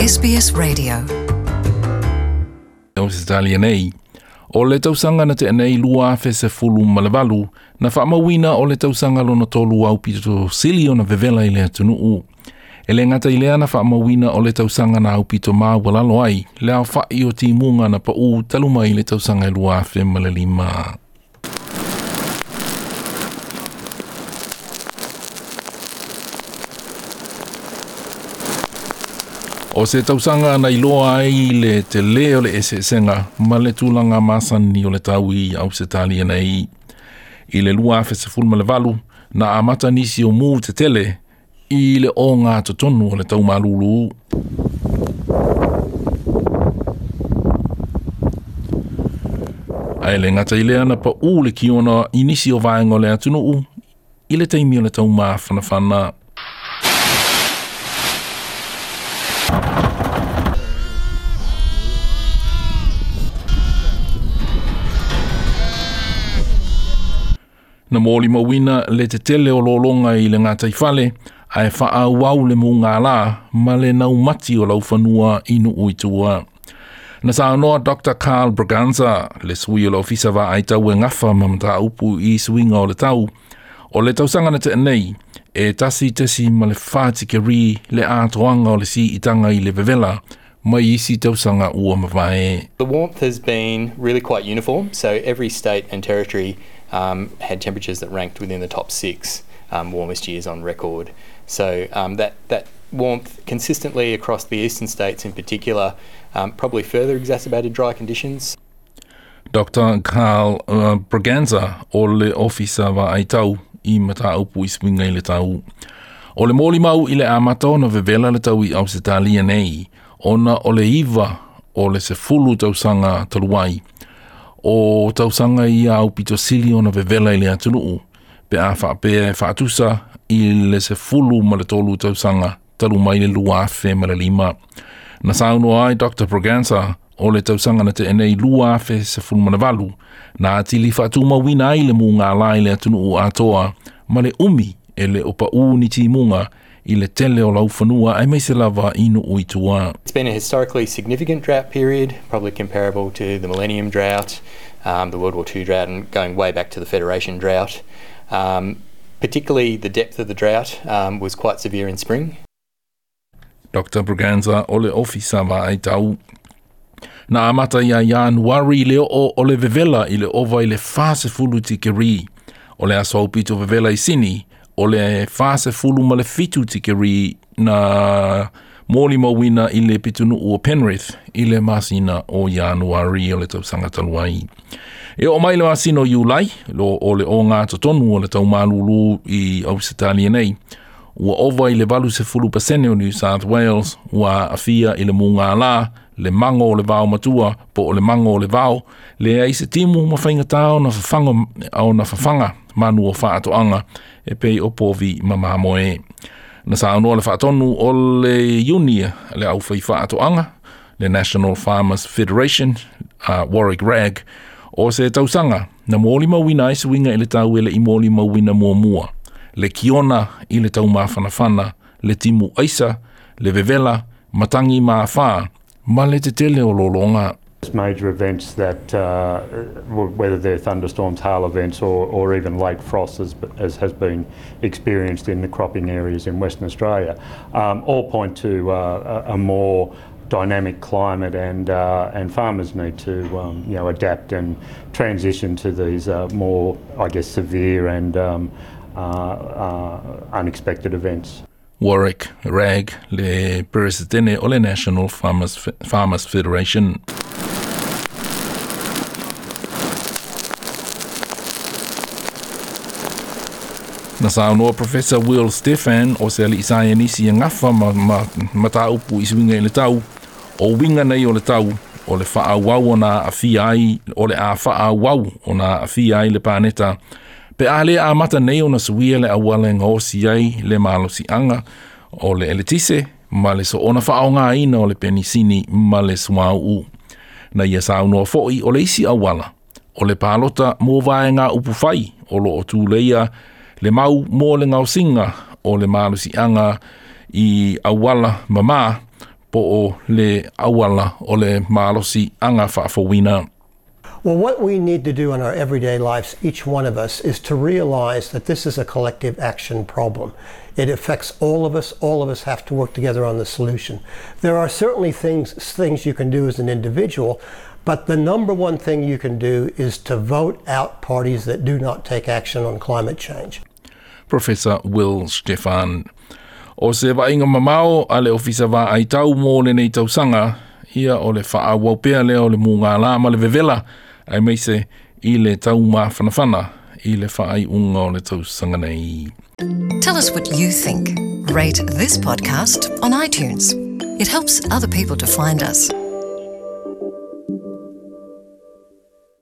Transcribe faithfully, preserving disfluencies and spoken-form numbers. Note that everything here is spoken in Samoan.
S B S Radio. Ausetalia nei. O le tausaga na tea nei lua afe sefulu ma le valu, na faamauina o le tausaga lona tolu au pito sili ona vevela i le atunuu. E le gata i lea na faamauina o le tausaga na aupito maualalo ai, le aofa'i o timuga na pa'ū talu mai le tausaga e lua afe ma le lima. O se tausaga na iloa ai le tele o le eseesega ma le tulaga masani o le tau i Ausetalia nei. I le lua afe sefulu ma le valu, na amata nisi o mu tetele i le oga totonu o le taumalulu. Ae le gata i lea na pa'ū le kiona i nisi o vaega o le atunuu i le taimi o le taumafanafana. Na molimauina le tetele o lologa i le gataifale, ae faaauau le mugālā ma le naumati o laufanua i nuu i tua. Na saunoa Doctor Carl Braganza, le sui o le ofisa vaaitau e gafa ma mataupu i suiga o le tau, o le tausaga na tea nei, e tasi tesi ma le fa tikeri le atoaga o le siitaga i le vevela, mai isi tausaga ua mavae. The warmth has been really quite uniform, so every state and territory um, had temperatures that ranked within the top six um, warmest years on record. So um, that, that warmth consistently across the eastern states in particular um, probably further exacerbated dry conditions. Doctor Carl uh, Braganza o le ofisa vaaitau i mataupu i suiga i le tau. O le molimau i le amata ona vevela le tau i Ausetalia nei, ona o le iva o le sefulu tausaga talu ai. O tausaga ia aupito sili ona vevela i le atunuu, pe a faapea e faatusa i le sefulu ma le tolu tausaga talu mai le lua afe ma le lima. Na saunoa ai Doctor Braganza o le tausaga na tea nei lua afe sefulu ma le valu, na atili faatumauina ai le mugālā i le atunuu atoa ma le umi e le o pa'ū ni timuga i le tele o laufanua aemaise lava i nuu i tua. It's been a historically significant drought period, probably comparable to the Millennium Drought, um, the World War Two drought, and going way back to the Federation drought. Um, particularly the depth of the drought um, was quite severe in spring. Doctor Braganza o le ofisa vaaitau. Na amata ia Ianuari le oo o le vevela i le ova i le fa sefulu tikeri. O le aso aupito vevela i Sini, o le fa sefulu ma le fitu tikeri na molimauina i le pitunuu o Penrith i le masina o Ianuari o le tausaga talu ai. E oo mai le masina o Iulai, lo o le oga totonu o le taumalulu i Ausetalia nei, ua ova i le valu sefulu pasene o New South Wales, ua aafia i le mugālā, le mango o le vao matua, po o le mango o le vao, le ai se timu ma faigata ona fafaga, ona fafaga manu o faatoaga e pei o povi ma mamoe. Na saunoa le faatonu o le Iunia, le aufai faatoaga, le National Farmers Federation, uh, Warwick Ragg, o se tausaga na molimauina ai suiga i le tau e le i molimauina muamua. Le kiona i le taumafanafana, le timu aisa, le vevela, matangi maafā, ma le tetele o lologa. Major events that, uh, whether they're thunderstorms, hail events, or, or even late frosts, as, as has been experienced in the cropping areas in Western Australia, um, all point to uh, a, a more dynamic climate, and uh, and farmers need to um, you know adapt and transition to these uh, more, I guess, severe and um, uh, uh, unexpected events. Warwick Ragg, le presidente o le National Farmers, Farmers Federation. Na saunoa Professor Will Stephan o se ali'i saienisi e gafa ma, ma, mataupu i suiga i le tau, o uiga nei o le tau, o le faaauau ona aafia ai, o le a faaauau ona aafia ai le paneta, pe a le amata nei ona suia le auala e gaosi ai le malosiaga o le eletise ma le soona faaaogāina o le penisini ma le suauu. Na ia saunoa fo'i o le isi auala, o le palota mo vaega upufai o loo tuleia le mau mo le gaosiga o le malosiaga i auala mamā Po o le auala o le malosiaga faafouina. Well, what we need to do in our everyday lives, each one of us, is to realize that this is a collective action problem. It affects all of us. All of us have to work together on the solution. There are certainly things, things you can do as an individual, but the number one thing you can do is to vote out parties that do not take action on climate change. Professor Will Stefan. O se vaaiga mamao a le Ofisa Vaai Tau mo lenei tausaga, ia o le faaauau pea lea o le mugala ma le vevela, aemaise i le taumafanafana i le faaiuga o le tausaga nei. Tell us what you think. Rate this podcast on iTunes. It helps other people to find us.